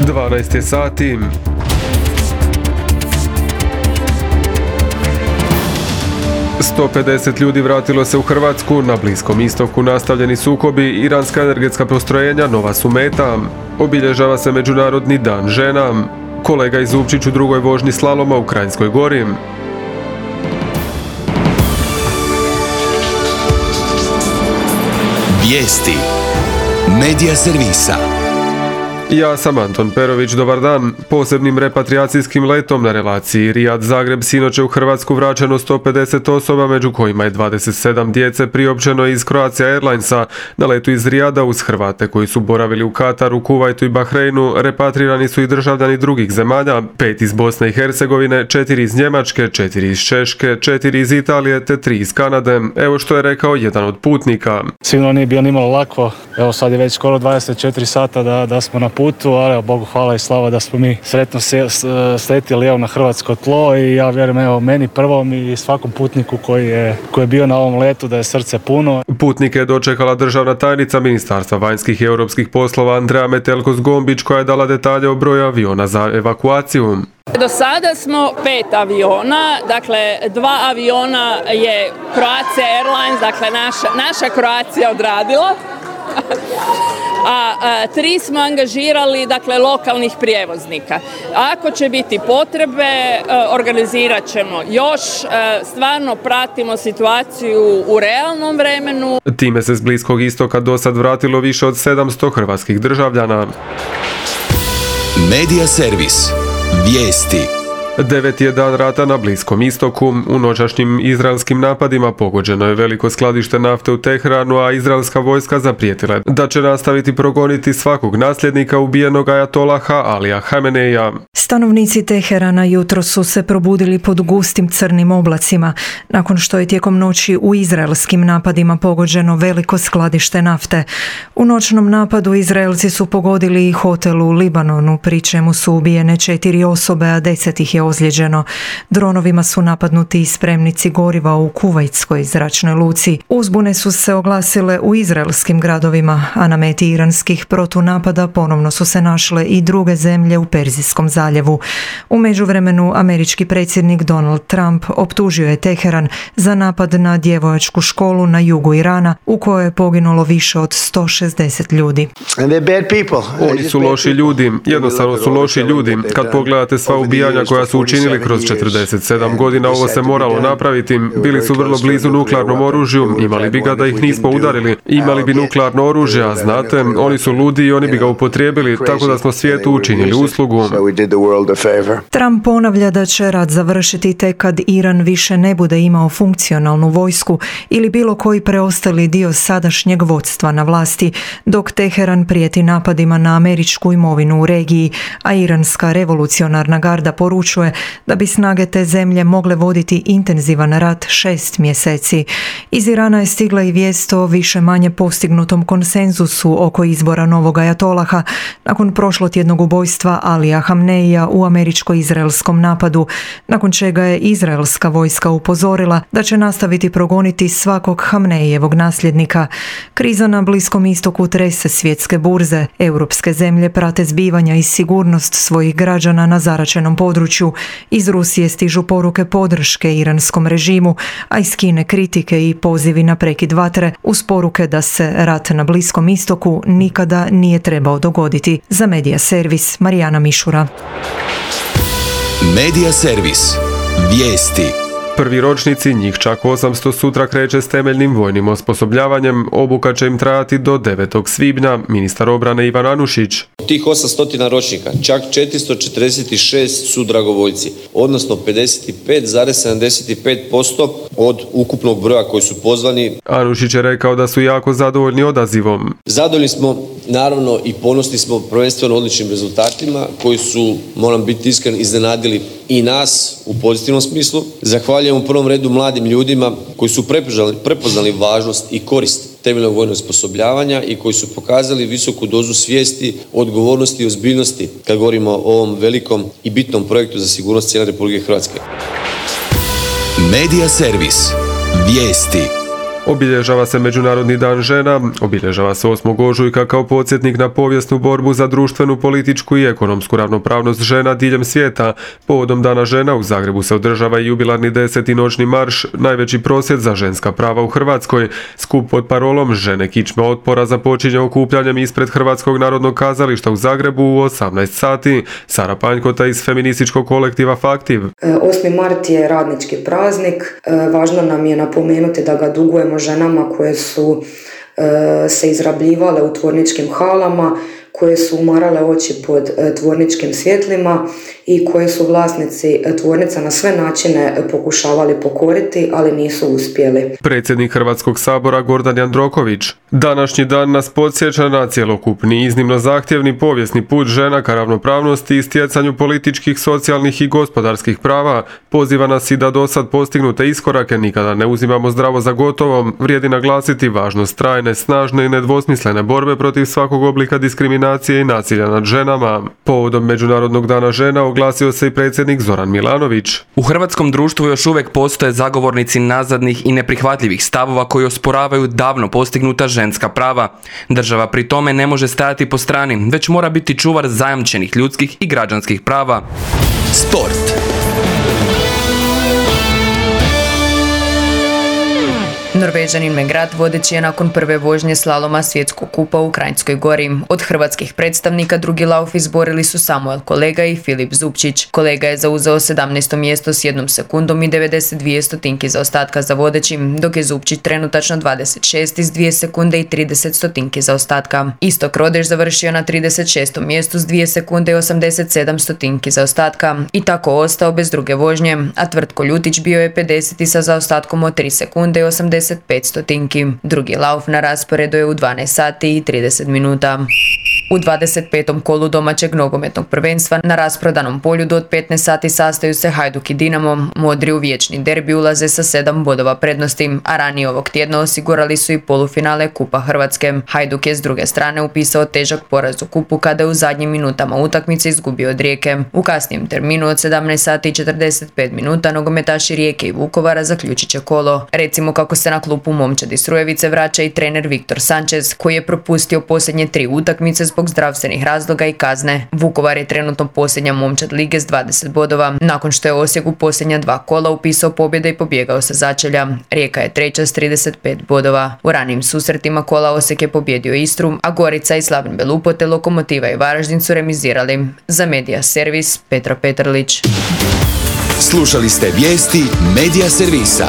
12 je sati. ...150 ljudi vratilo se u Hrvatsku, na Bliskom istoku nastavljeni sukobi, iranska energetska postrojenja nova su meta. Obilježava se Međunarodni dan žena. Kolega Zupčić u drugoj vožnji slaloma u Kranjskoj Gori. Vijesti Medija servisa. Ja sam Anton Perović, dobar dan. Posebnim repatriacijskim letom na relaciji Rijad-Zagreb sinoć je u Hrvatsku vraćeno 150 osoba, među kojima je 27 djece priopćeno iz Croatia Airlinesa. Na letu iz Rijada uz Hrvate koji su boravili u Kataru, Kuvajtu i Bahreinu repatrirani su i državljani drugih zemalja, 5 iz Bosne i Hercegovine, 4 iz Njemačke, 4 iz Češke, 4 iz Italije te 3 iz Kanade. Evo što je rekao jedan od putnika. Sigurno nije bilo nimalo lako. Evo sad je već skoro 24 sata da smo na putu, ali Bogu hvala i slava da smo mi sretno sletjeli na hrvatsko tlo i ja vjerujem meni prvom i svakom putniku koji je bio na ovom letu da je srce puno. Putnike je dočekala državna tajnica Ministarstva vanjskih i europskih poslova Andreja Metelko-Zgombić koja je dala detalje o broju aviona za evakuaciju. Do sada smo 5 aviona, dakle 2 aviona je Croatia Airlines, dakle naša Croatia odradila. A 3 smo angažirali, dakle, lokalnih prijevoznika. Ako će biti potrebe, organizirat ćemo još. Stvarno pratimo situaciju u realnom vremenu. Time se s Bliskog istoka do sad vratilo više od 700 hrvatskih državljana. Medija servis. Vijesti. 9. je dan rata na Bliskom istoku. U noćašnjim izraelskim napadima pogođeno je veliko skladište nafte u Teheranu, a izraelska vojska zaprijetila je da će nastaviti progoniti svakog nasljednika ubijenog ajatolaha Alija Hameneja. Stanovnici Teherana jutro su se probudili pod gustim crnim oblacima, nakon što je tijekom noći u izraelskim napadima pogođeno veliko skladište nafte. U noćnom napadu Izraelci su pogodili i hotel u Libanonu, pri čemu su ubijene 4 osobe, a 10 ih je ozlijeđeno. Dronovima su napadnuti i spremnici goriva u Kuvajtskoj zračnoj luci. Uzbune su se oglasile u izraelskim gradovima, a na meti iranskih protunapada ponovno su se našle i druge zemlje u Perzijskom zaljevu. U međuvremenu američki predsjednik Donald Trump optužio je Teheran za napad na djevojačku školu na jugu Irana, u kojoj je poginulo više od 160 ljudi. Oni su loši ljudi, jednostavno su loši ljudi. Kad pogledate sva ubijanja koja su učinili kroz 47 godina, ovo se moralo napraviti. Bili su vrlo blizu nuklearnom oružju, imali bi ga da ih nismo udarili. Imali bi nuklearno oružje, a znate, oni su ludi i oni bi ga upotrijebili, tako da smo svijetu učinili uslugu. Trump ponavlja da će rat završiti tek kad Iran više ne bude imao funkcionalnu vojsku ili bilo koji preostali dio sadašnjeg vodstva na vlasti, dok Teheran prijeti napadima na američku imovinu u regiji, a iranska revolucionarna garda poručuje da bi snage te zemlje mogle voditi intenzivan rat 6 mjeseci. Iz Irana je stigla i vijest o više manje postignutom konsenzusu oko izbora novog ajatolaha nakon prošlotjednog ubojstva Alija Hameneja u američko-izraelskom napadu, nakon čega je izraelska vojska upozorila da će nastaviti progoniti svakog Hamenejevog nasljednika. Kriza na Bliskom istoku trese svjetske burze. Europske zemlje prate zbivanja i sigurnost svojih građana na zaračenom području. Iz Rusije stižu poruke podrške iranskom režimu, a iz Kine kritike i pozivi na prekid vatre uz poruke da se rat na Bliskom istoku nikada nije trebao dogoditi. Za Medija servis Marijana Mišura. Medija servis. Vijesti. Prvi ročnici, njih čak 800, sutra kreće s temeljnim vojnim osposobljavanjem. Obuka će im trajati do 9. svibnja, ministar obrane Ivan Anušić. Tih 800 ročnika, čak 446 su dragovoljci, odnosno 55,75% od ukupnog broja koji su pozvani. Anušić je rekao da su jako zadovoljni odazivom. Zadovoljni smo, naravno, i ponosni smo prvenstveno odličnim rezultatima koji su, moram biti iskren, iznenadili i nas u pozitivnom smislu. Zahvaljujem u prvom redu mladim ljudima koji su prepoznali važnost i korist temeljnog vojnog osposobljavanja i koji su pokazali visoku dozu svijesti, odgovornosti i ozbiljnosti kad govorimo o ovom velikom i bitnom projektu za sigurnost cijele Republike Hrvatske. Medija servis. Vijesti. Obilježava se Međunarodni dan žena, obilježava se 8. ožujka kao podsjetnik na povijesnu borbu za društvenu, političku i ekonomsku ravnopravnost žena diljem svijeta. Povodom Dana žena u Zagrebu se održava i jubilarni 10. noćni marš, najveći prosvjed za ženska prava u Hrvatskoj. Skup pod parolom Žene kičma otpora započinje okupljanjem ispred Hrvatskog narodnog kazališta u Zagrebu u 18 sati. Sara Panjkota iz feminističkog kolektiva Faktiv. 8. mart je radnički praznik. Važno nam je napomenuti da ga dugujemo ženama koje su se izrabljivale u tvorničkim halama, koje su umarale oči pod tvorničkim svjetlima i koje su vlasnici tvornica na sve načine pokušavali pokoriti, ali nisu uspjeli. Predsjednik Hrvatskog sabora Gordan Jandroković. Današnji dan nas podsjeća na cjelokupni, iznimno zahtjevni povijesni put žena ka ravnopravnosti i stjecanju političkih, socijalnih i gospodarskih prava. Poziva nas i da dosad postignute iskorake nikada ne uzimamo zdravo za gotovo. Vrijedi naglasiti važnost trajne, snažne i nedvosmislene borbe protiv svakog oblika diskriminacije i nasilja nad ženama. Povodom Međunarodnog dana žena oglasio se i predsjednik Zoran Milanović. U hrvatskom društvu još uvijek postoje zagovornici nazadnih i neprihvatljivih stavova koji osporavaju davno postignuta ženska prava. Država pri tome ne može stajati po strani, već mora biti čuvar zajamčenih ljudskih i građanskih prava. Sport. Norvežanin Megrad vodeći je nakon prve vožnje slaloma svjetskog kupa u Kranjskoj Gori. Od hrvatskih predstavnika drugi lauf izborili su Samuel Kolega i Filip Zupčić. Kolega je zauzeo 17. mjesto s 1 sekundom i 92 stotinki zaostatka za vodećim, dok je Zupčić trenutačno 26 iz 2 sekunde i 30 stotinki zaostatka. Istok Rodeš završio na 36. mjestu s 2 sekunde i 87 stotinki zaostatka i tako ostao bez druge vožnje, a Tvrtko Ljutić bio je 50. sa zaostatkom od 3 sekunde i 85 stotinki. Drugi lauf na rasporedu je u 12 sati i 30 minuta. U 25. kolu domaćeg nogometnog prvenstva na rasprodanom polju do 15 sati sastaju se Hajduk i Dinamo. Modri u vječni derbi ulaze sa 7 bodova prednosti, a ranije ovog tjedna osigurali su i polufinale Kupa Hrvatske. Hajduk je s druge strane upisao težak poraz u kupu kada je u zadnjim minutama utakmice izgubio od Rijeke. U kasnijem terminu od 17 sati i 45 minuta nogometaši Rijeke i Vukovara zaključit će kolo. Recimo kako se na klupu Momčadi Srujevice vraća i trener Viktor Sanchez, koji je propustio posljednje 3 utakmice zbog zdravstvenih razloga i kazne. Vukovar je trenutno posljednja momčad lige s 20 bodova, nakon što je Osijek u posljednja 2 kola upisao pobjede i pobjegao sa začelja. Rijeka je treća s 35 bodova. U ranijim susretima kola Osijek je pobjedio Istru, a Gorica i Slaven Belupo te Lokomotiva i Varaždin su remizirali. Za Medija servis Petra Petrlić. Slušali ste vijesti Medija servisa.